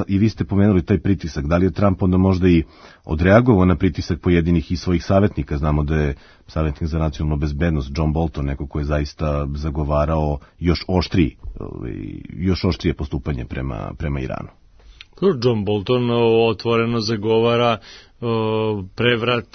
i vi ste pomenuli taj pritisak, da li je Trump onda možda i odreagovao na pritisak pojedinih i svojih savjetnika? Znamo da je savjetnik za nacionalnu bezbednost John Bolton neko ko je zaista zagovarao još oštriji, još oštrije postupanje prema, prema Iranu. John Bolton otvoreno zagovara prevrat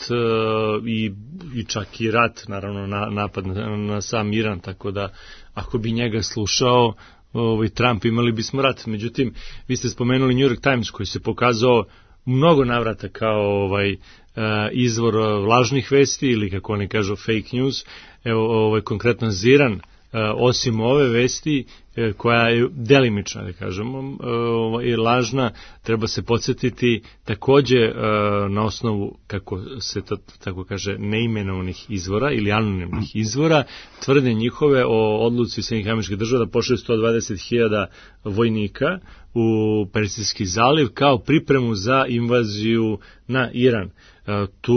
i, i čak i rat, naravno na, napad na, na sam Iran, tako da ako bi njega slušao ovaj, Trump, imali bismo rat. Međutim, vi ste spomenuli New York Times koji se pokazao mnogo navrata kao ovaj, izvor lažnih vesti ili kako oni kažu fake news. Evo, ovaj, konkretno Ziran, osim ove vesti koja je delimična, da kažemo, i lažna, treba se podsjetiti takođe na osnovu, kako se to tako kaže, neimenovanih izvora ili anonimnih izvora, tvrde njihove o odluci Sjedinjenih Američkih Država da pošalju sto dvadeset hiljada vojnika u Persijski zaliv kao pripremu za invaziju na Iran. Tu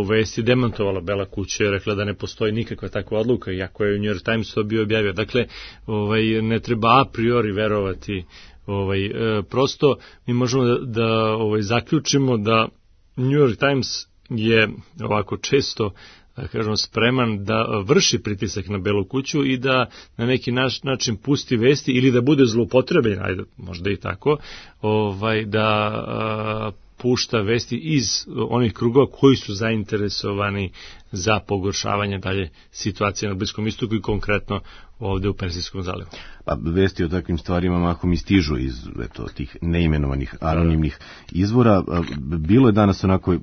vesti demantovala Bela kuća i rekla da ne postoji nikakva takva odluka, iako je u New York Times to bio objavio. Dakle, ovaj, ne treba a priori verovati. Ovaj, e, prosto mi možemo da, da ovaj, zaključimo da New York Times je ovako često, da kažemo, spreman da vrši pritisak na Belu kuću i da na neki naš, način pusti vesti ili da bude zloupotrebljen, ajde, možda i tako, ovaj, da a, pušta vesti iz onih krugova koji su zainteresovani za pogoršavanje dalje situacije na Bliskom istoku i konkretno ovde u Persijskom zalivu. Pa vesti o takvim stvarima mahom i stižu iz eto, tih neimenovanih anonimnih izvora. Bilo je danas onako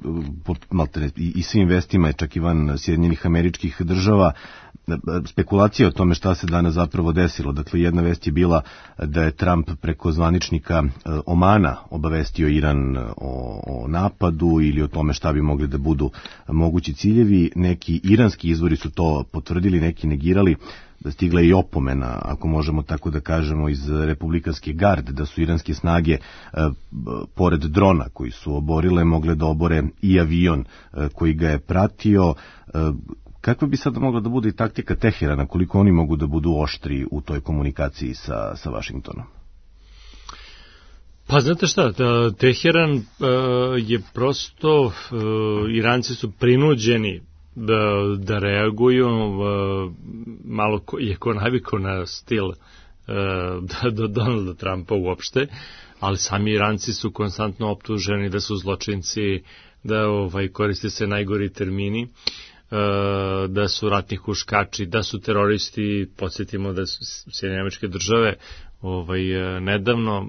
maltene, i svim vestima, čak i van Sjedinjenih Američkih Država, spekulacija o tome šta se danas zapravo desilo. Dakle, jedna vest je bila da je Trump preko zvaničnika Omana obavestio Iran o, o napadu ili o tome šta bi mogli da budu mogući ciljevi. Neki iranski izvori su to potvrdili, neki negirali. Da stigla je i opomena, ako možemo tako da kažemo, iz republikanske garde, da su iranske snage e, pored drona koji su oborile mogle da obore i avion e, koji ga je pratio. E, kakva bi sada mogla da bude i taktika Teherana, koliko oni mogu da budu oštri u toj komunikaciji sa, sa Vašingtonom? Pa znate šta, Teheran e, je prosto, e, Iranci su prinuđeni Da, da reaguju, malo ko, je ko navikao na stil da, do Donalda Trumpa uopšte, ali sami Iranci su konstantno optuženi da su zločinci, da ovaj, koriste se najgori termini, da su ratni huškači, da su teroristi. Podsjetimo da su Sjedinjene Američke Države ovaj, nedavno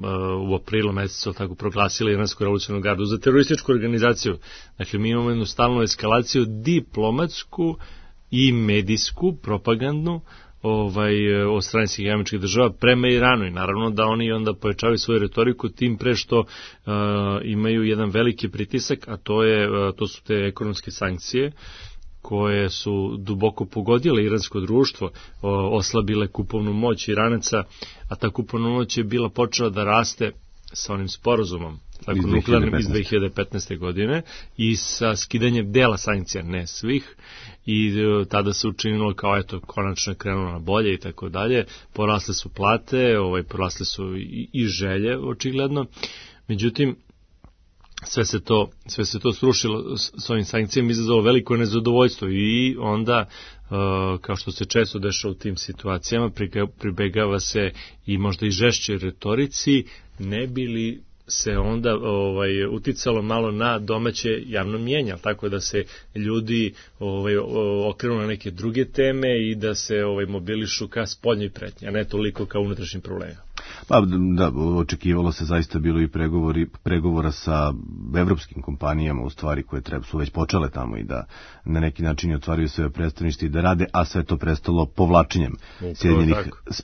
u aprilu mesecu tako proglasili Iransku revolucionarnu gardu za terorističku organizaciju. Dakle, mi imamo jednu stalnu eskalaciju diplomatsku i medijsku, propagandnu, ovaj, od strane Sjedinjenih Američkih Država prema Iranu i naravno da oni onda pojačavaju svoju retoriku tim pre što uh, imaju jedan veliki pritisak, a to, je, uh, to su te ekonomske sankcije koje su duboko pogodile iransko društvo, oslabile kupovnu moć Iranaca, a ta kupovna moć je bila počela da raste sa onim sporazumom, tako nuklearnim iz dve hiljade petnaeste. godine i sa skidanjem dela sankcija, ne svih, i tada se učinilo kao eto, konačno je krenulo na bolje i tako dalje, porasle su plate, ovaj, porasle su i, i želje, očigledno, međutim, sve se to, sve se to srušilo s ovim sankcijama, izazvalo veliko nezadovoljstvo i onda, kao što se često dešava u tim situacijama, pribegava se i možda i žešćoj retorici, ne bi li se onda ovaj, uticalo malo na domaće javno mnijenje, tako da se ljudi ovaj, okrenu na neke druge teme i da se ovaj, mobilišu ka spoljnoj pretnji, a ne toliko kao unutrašnjim problemima. Pa da, očekivalo se, zaista bilo i pregovori, pregovora sa evropskim kompanijama, u stvari koje treba, su već počele tamo i da na neki način otvaraju sve predstavništva i da rade, a sve to prestalo povlačenjem Sjedinjenih,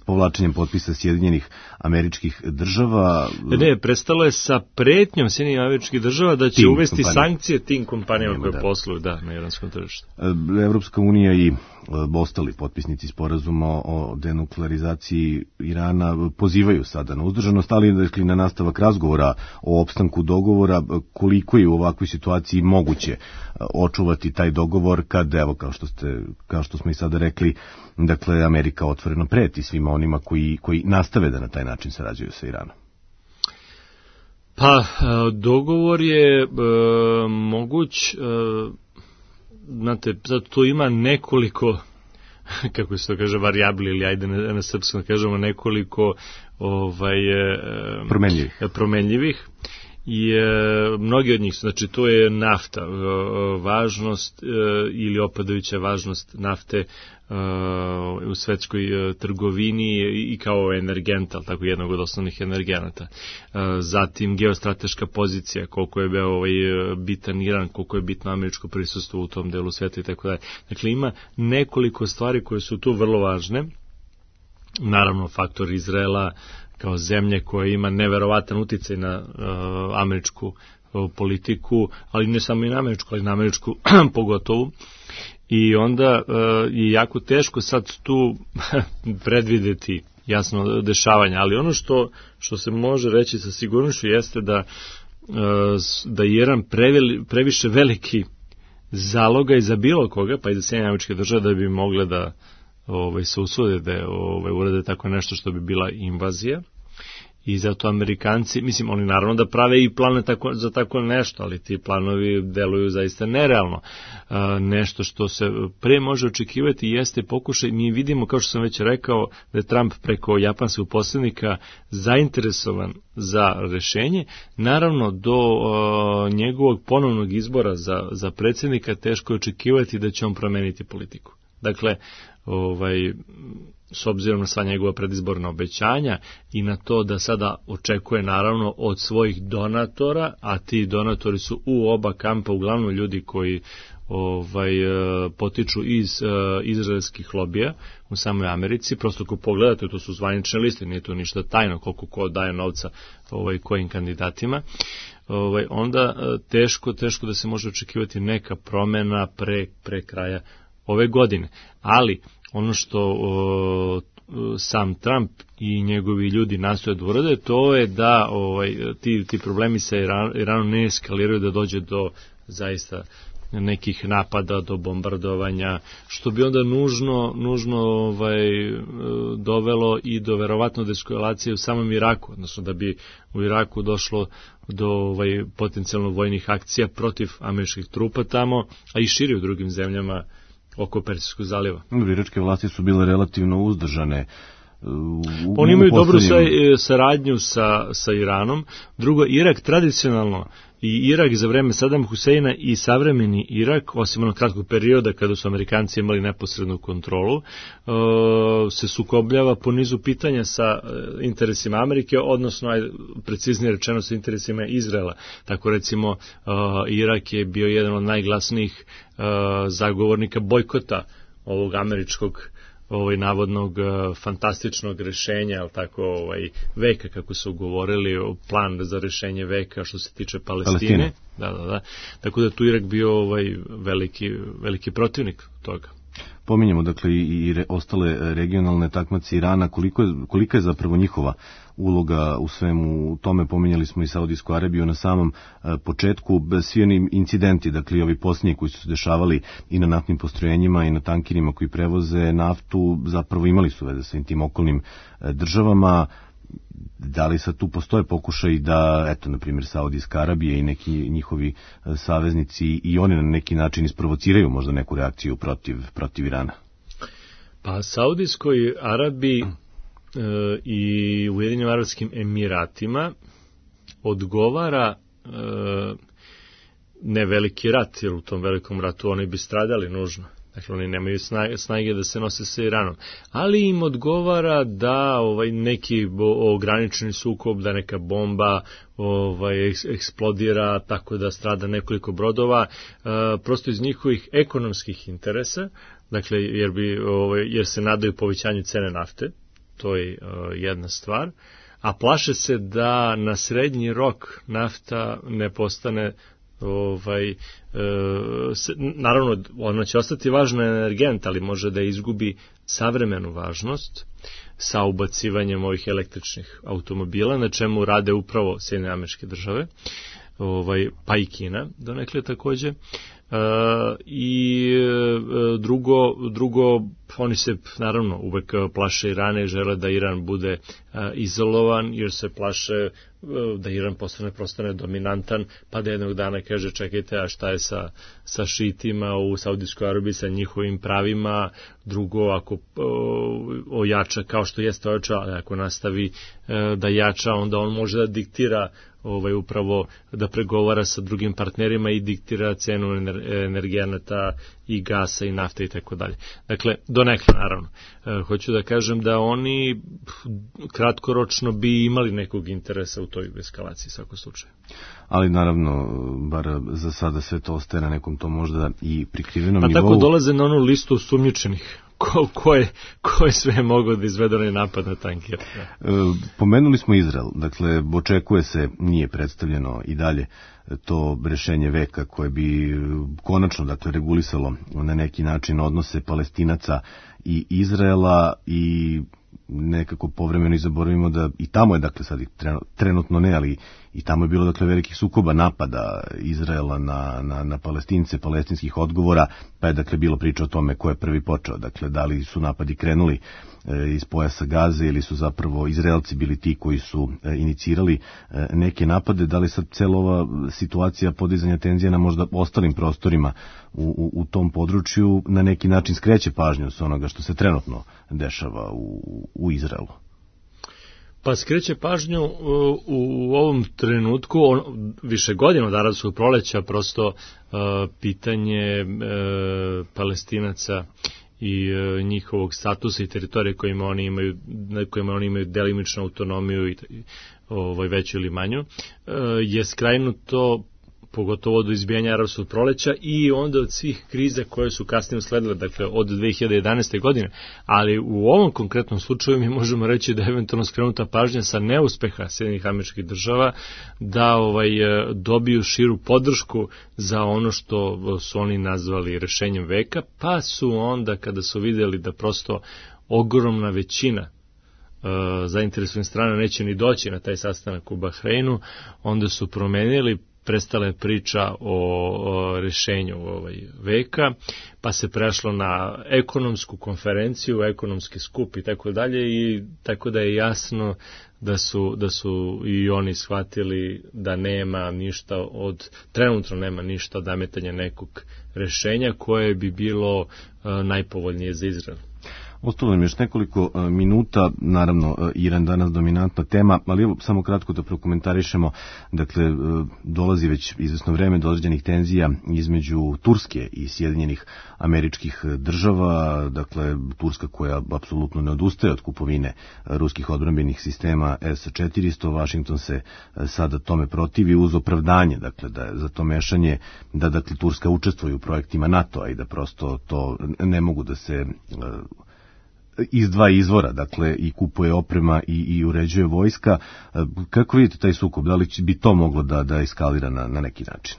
povlačenjem potpisa Sjedinjenih Američkih Država. Ne, prestalo je sa pretnjom Sjedinjenih Američkih Država da će tim uvesti kompanija. sankcije tim kompanijama koje da. posluju da, na iranskom tržištu. Evropska unija i ostali potpisnici sporazuma o denuklearizaciji Irana pozivaju sada na uzdržanost, ali dakle, na nastavak razgovora o opstanku dogovora, koliko je u ovakvoj situaciji moguće očuvati taj dogovor kad, evo, kao što, ste, kao što smo i sada rekli, dakle, Amerika otvoreno preti svima onima koji, koji nastave da na taj način sarađuju sa Iranom. Pa, dogovor je e, moguć, e, znate, sad tu ima nekoliko, kako se to kaže, varijabli, ili ajde na, na srpskom kažemo nekoliko ovaj, e, promenljivih. promenljivih. I e, mnogi od njih, znači to je nafta, e, važnost e, ili opadajuća važnost nafte e, u svetskoj e, trgovini i, i kao energenta, ali tako jednog od osnovnih energenata. E, zatim geostrateška pozicija, koliko je bio ovaj, bitan Iran, koliko je bitno američko prisustvo u tom delu sveta i tako dalje. Dakle, ima nekoliko stvari koje su tu vrlo važne. Naravno, faktor Izraela kao zemlje koja ima neverovatan uticaj na uh, američku uh, politiku, ali ne samo i na američku, ali na američku pogotovo. I onda uh, je jako teško sad tu predvideti jasno dešavanja, ali ono što, što se može reći sa sigurnošću jeste da, uh, da je Iran preveli, previše veliki zaloga i za bilo koga, pa i za Sjedinjene Američke Države, da bi mogle da ovaj, se usude da ovaj, urade tako nešto što bi bila invazija. I zato Amerikanci, mislim, oni naravno da prave i plane tako, za tako nešto, ali ti planovi deluju zaista nerealno. E, nešto što se pre može očekivati jeste pokušaj, mi vidimo, kao što sam već rekao, da je Trump preko japanskog posrednika zainteresovan za rešenje. Naravno, do e, njegovog ponovnog izbora za, za predsjednika teško je očekivati da će on promeniti politiku. Dakle, ovaj, s obzirom na sva njegova predizborna obećanja i na to da sada očekuje naravno od svojih donatora, a ti donatori su u oba kampa uglavnom ljudi koji ovaj, potiču iz uh, izraelskih lobija u samoj Americi. Prosto ako pogledate, to su zvanične liste, nije to ništa tajno koliko ko daje novca ovaj, kojim kandidatima. Ovaj, onda teško, teško da se može očekivati neka promena pre, pre kraja ove godine. Ali ono što o, sam Trump i njegovi ljudi nastoje da urade, to je da ovaj, ti, ti problemi sa Iran, Iranom ne eskaliraju, da dođe do zaista nekih napada, do bombardovanja, što bi onda nužno, nužno ovaj, dovelo i do verovatno deeskalacije u samom Iraku, odnosno da bi u Iraku došlo do ovaj, potencijalno vojnih akcija protiv američkih trupa tamo, a i širi u drugim zemljama oko Persijskog zaliva. Iračke vlasti su bile relativno uzdržane. U, Oni imaju poslednjim... dobru saradnju sa, sa Iranom. Drugo, Irak tradicionalno i Irak za vreme Sadama Huseina i savremeni Irak, osim onog kratkog perioda kada su Amerikanci imali neposrednu kontrolu, se sukobljava po nizu pitanja sa interesima Amerike, odnosno, preciznije rečeno, sa interesima Izraela. Tako recimo, Irak je bio jedan od najglasnijih zagovornika bojkota ovog američkog ovaj navodnog uh, fantastičnog rešenja, al tako ovaj veka, kako su govorili, plan za rešenje veka što se tiče Palestine. Palestine. Da, da, da. Tako da tu Irak bio ovaj veliki veliki protivnik toga. Pominjemo dakle i, i re, ostale regionalne takmace Irana, koliko je, kolika je zapravo njihova uloga u svemu tome. Pominjali smo i Saudijsku Arabiju na samom e, početku, svi oni incidenti, dakle ovi posljednji koji su se dešavali i na naftnim postrojenjima i na tankerima koji prevoze naftu, zapravo imali su veze sa tim okolnim e, državama. Da li sad tu postoje pokušaj da, eto, na primjer, Saudijska Arabija i neki njihovi saveznici i oni na neki način isprovociraju možda neku reakciju protiv, protiv Irana? Pa Saudijskoj Arabiji e, i Ujedinjenim Arapskim Emiratima odgovara e, ne veliki rat, jer u tom velikom ratu oni bi stradali nužno. Dakle, oni nemaju snage da se nose sa Iranom. Ali im odgovara da ovaj, neki ograničeni sukob, da neka bomba ovaj, eksplodira tako da strada nekoliko brodova, e, prosto iz njihovih ekonomskih interesa, dakle, jer, bi, ovaj, jer se nadaju povećanju cene nafte, to je e, jedna stvar, a plaše se da na srednji rok nafta ne postane ovaj, e, se, naravno ona će ostati važna energent, ali može da izgubi savremenu važnost sa ubacivanjem ovih električnih automobila, na čemu rade upravo Sjedinjene Američke Države. ovaj, pa i Kina donekle takođe. Uh, i uh, drugo, drugo, oni se naravno uvek plaše Irana i žele da Iran bude uh, izolovan, jer se plaše uh, da Iran postane, postane dominantan, pa da jednog dana kaže čekajte, a šta je sa, sa šitima u Saudijskoj Arabiji, sa njihovim pravima. Drugo, ako uh, ojača kao što jeste ojača, ali ako nastavi uh, da jača, onda on može da diktira ovaj upravo da pregovara sa drugim partnerima i diktira cenu energenata i gasa i nafte i tako dalje. Dakle, donekle naravno. E, hoću da kažem da oni kratkoročno bi imali nekog interesa u toj eskalaciji u svakom slučaju. Ali naravno, bar za sada sve to ostaje na nekom to možda i prikrivenom pa nivou. Pa tako dolaze na onu listu sumnjičenih. Ko, ko, je, ko je sve mogao da izvede onaj napad na tanker? E, pomenuli smo Izrael, dakle, očekuje se, nije predstavljeno i dalje to rešenje veka koje bi konačno, dakle, regulisalo na neki način odnose Palestinaca i Izraela i nekako povremeno i zaboravimo da i tamo je, dakle, sad trenutno ne, ali i tamo je bilo, dakle, velikih sukoba, napada Izraela na, na, na Palestince, palestinskih odgovora, pa je, dakle, bilo priča o tome ko je prvi počeo, dakle, da li su napadi krenuli e, iz pojasa Gaze ili su zapravo Izraelci bili ti koji su e, inicirali e, neke napade, da li sad cela ova situacija podizanja tenzija na možda ostalim prostorima u, u, u tom području na neki način skreće pažnju s onoga što se trenutno dešava u, u Izraelu. Pa skreće pažnju u, u ovom trenutku, on, više godina od arapskog proleća, prosto uh, pitanje uh, Palestinaca i uh, njihovog statusa i teritorije kojima oni imaju, na kojima oni imaju delimičnu autonomiju i ovaj, veću ili manju, uh, je skrajnuto pogotovo do izbijanja arapskog proleća i onda od svih kriza koje su kasnije usledile, dakle od dve hiljade jedanaeste. godine, ali u ovom konkretnom slučaju mi možemo reći da je eventualno skrenuta pažnja sa neuspeha Sjedinjenih Američkih Država da ovaj dobiju širu podršku za ono što su oni nazvali rešenjem veka, pa su onda kada su vidjeli da prosto ogromna većina Uh, zainteresovanih strana neće ni doći na taj sastanak u Bahreinu, onda su promenili, prestala je priča o, o rešenju ovaj veka, pa se prešlo na ekonomsku konferenciju, ekonomski skup i tako dalje, i tako da je jasno da su, da su i oni shvatili da nema ništa od, trenutno nema ništa od nametanja nekog rešenja koje bi bilo uh, najpovoljnije za Izrael. Ostalo nam još nekoliko uh, minuta, naravno uh, Iran danas dominantna tema, ali evo samo kratko da prokomentarišemo, dakle uh, dolazi već izvesno vreme do određenih tenzija između Turske i Sjedinjenih Američkih Država, dakle Turska koja apsolutno ne odustaje od kupovine uh, ruskih odbrambenih sistema S četiristo, Washington se uh, sada tome protivi uz opravdanje, dakle da je za to mešanje da dakle Turska učestvuje u projektima NATO-a i da prosto to ne mogu da se uh, iz dva izvora, dakle i kupuje oprema i, i uređuje vojska. Kako vidite taj sukob? Da li bi to moglo da, da eskalira na, na neki način?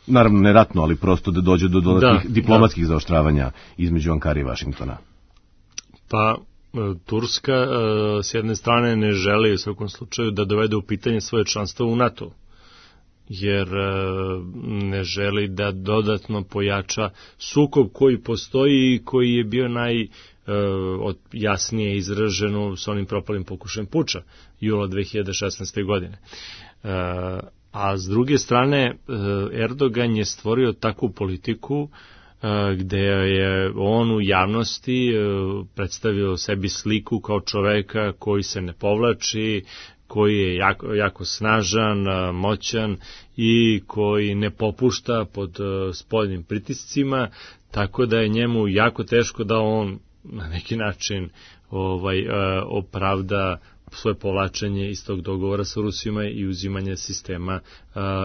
Naravno ne ratno, ali prosto da dođe do dodatnih da, diplomatskih da. zaoštravanja između Ankare i Vašingtona. Pa Turska s jedne strane ne želi u svakom slučaju da dovede u pitanje svoje članstvo u NATO, jer ne želi da dodatno pojača sukob koji postoji i koji je bio naj od jasnije izraženo s onim propalim pokušajem puča jula dve hiljade šesnaeste. godine. A s druge strane, Erdogan je stvorio takvu politiku gde je on u javnosti predstavio sebi sliku kao čoveka koji se ne povlači, koji je jako, jako snažan, moćan i koji ne popušta pod spoljnim pritiscima, tako da je njemu jako teško da on na neki način ovaj, opravda svoje povlačenje iz tog dogovora sa Rusima i uzimanje sistema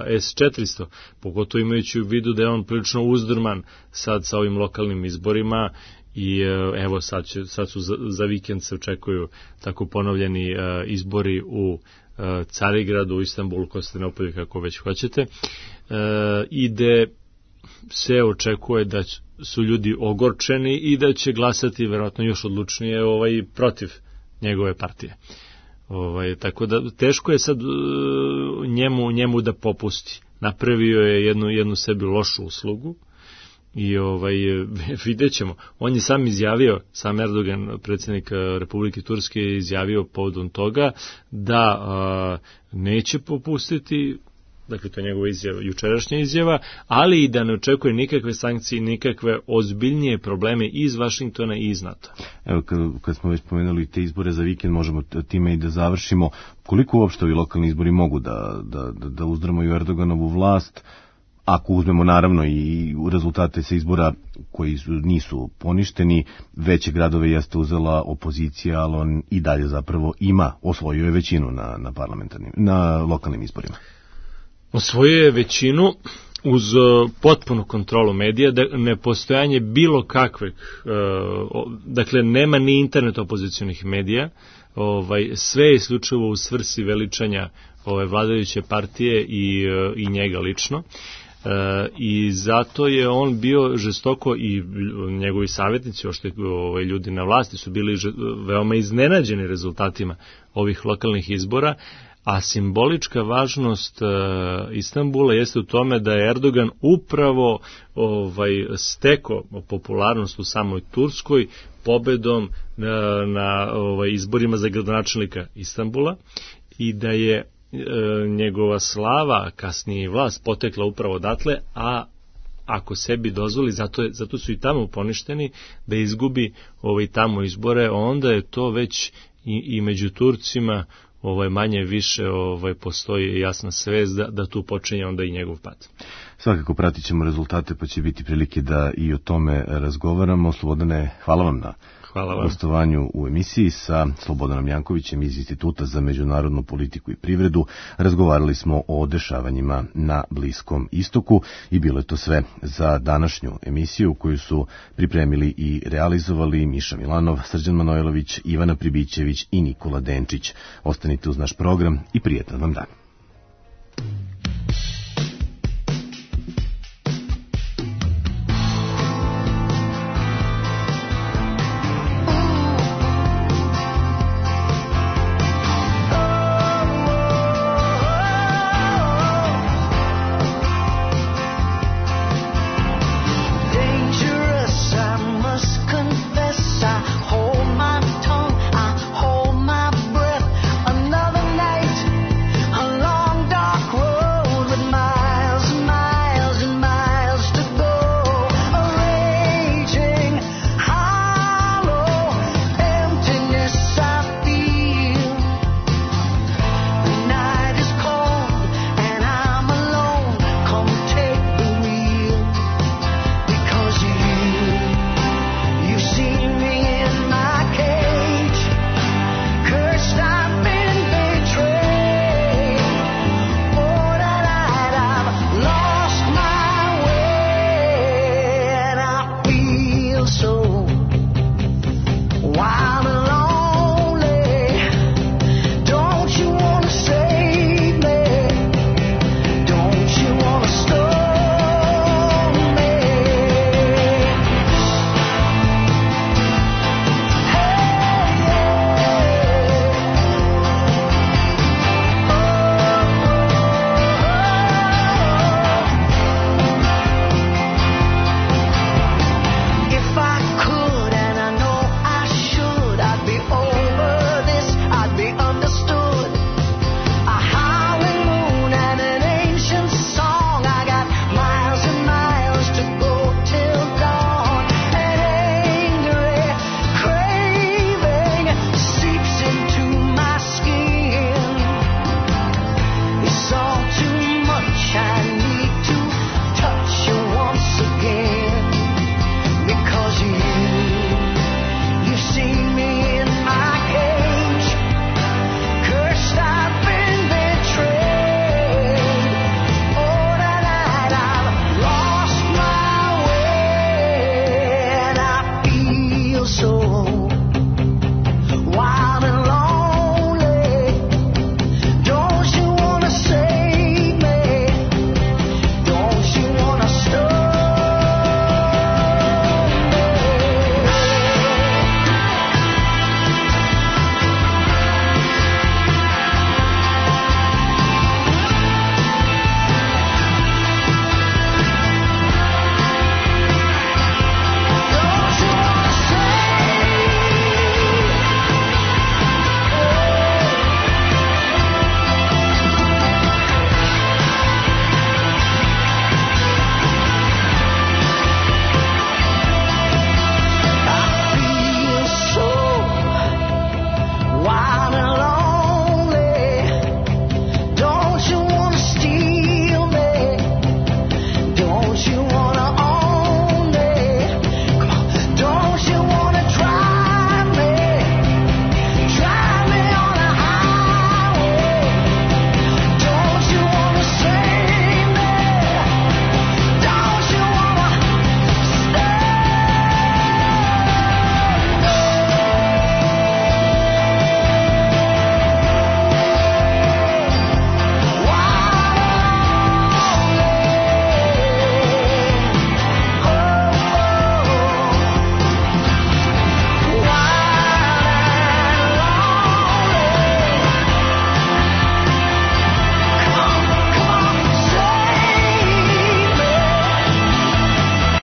S četiristo. Pogotovo imajući u vidu da je on prilično uzdrman sad sa ovim lokalnim izborima i evo sad, će, sad su za, za vikend se očekuju tako ponovljeni izbori u Carigradu, u Istanbulu, Konstantinopolju, kako već hoćete, i gde se očekuje da su ljudi ogorčeni i da će glasati verovatno još odlučnije ovaj protiv njegove partije. Ovaj, tako da teško je sad njemu, njemu da popusti. Napravio je jednu, jednu sebi lošu uslugu i ovaj, vidjet ćemo. On je sam izjavio, sam Erdogan, predsjednik Republike Turske, je izjavio povodom toga da a, neće popustiti, dakle to je njegova izjava, jučerašnja izjava, ali i da ne očekuje nikakve sankcije, nikakve ozbiljnije probleme iz Vašingtona i iz NATO. Evo, kad, kad smo već pomenuli te izbore za vikend, možemo time i da završimo. Koliko uopšte ovi lokalni izbori mogu da, da, da, da uzdrmaju Erdoganovu vlast, ako uzmemo naravno i rezultate sa izbora koji su, nisu poništeni, veće gradove jeste uzela opozicija, ali on i dalje zapravo ima, osvojio je većinu na, na parlamentarnim, na lokalnim izborima. Osvojio je većinu uz potpunu kontrolu medija, da nepostojanje bilo kakveg, dakle nema ni internet opozicionih medija, ovaj, sve je isključivo u svrsi veličanja ove vladajuće partije i, i njega lično. E, i zato je on bio žestoko i njegovi savjetnici, ošte ovaj, ljudi na vlasti su bili veoma iznenađeni rezultatima ovih lokalnih izbora, a simbolička važnost e, Istanbula jeste u tome da je Erdogan upravo ovaj, steko popularnost u samoj Turskoj pobedom na, na ovaj, izborima za gradonačelnika Istanbula i da je e, njegova slava, kasnije vlast, potekla upravo odatle, a ako sebi dozvoli, zato, je, zato su i tamo poništeni, da izgubi ovaj, tamo izbore, onda je to već i, i među Turcima ovaj, manje više ovaj, postoji jasna svest da, da tu počinje onda i njegov pad. Svakako pratit ćemo rezultate, pa će biti prilike da i o tome razgovaramo. Slobodane, hvala vam na gostovanju u emisiji. Sa Slobodanom Jankovićem iz Instituta za međunarodnu politiku i privredu razgovarali smo o dešavanjima na Bliskom istoku i bilo je to sve za današnju emisiju koju su pripremili i realizovali Miša Milanov, Srđan Manojlović, Ivana Pribićević i Nikola Denčić. Ostanite uz naš program i prijetan vam dan.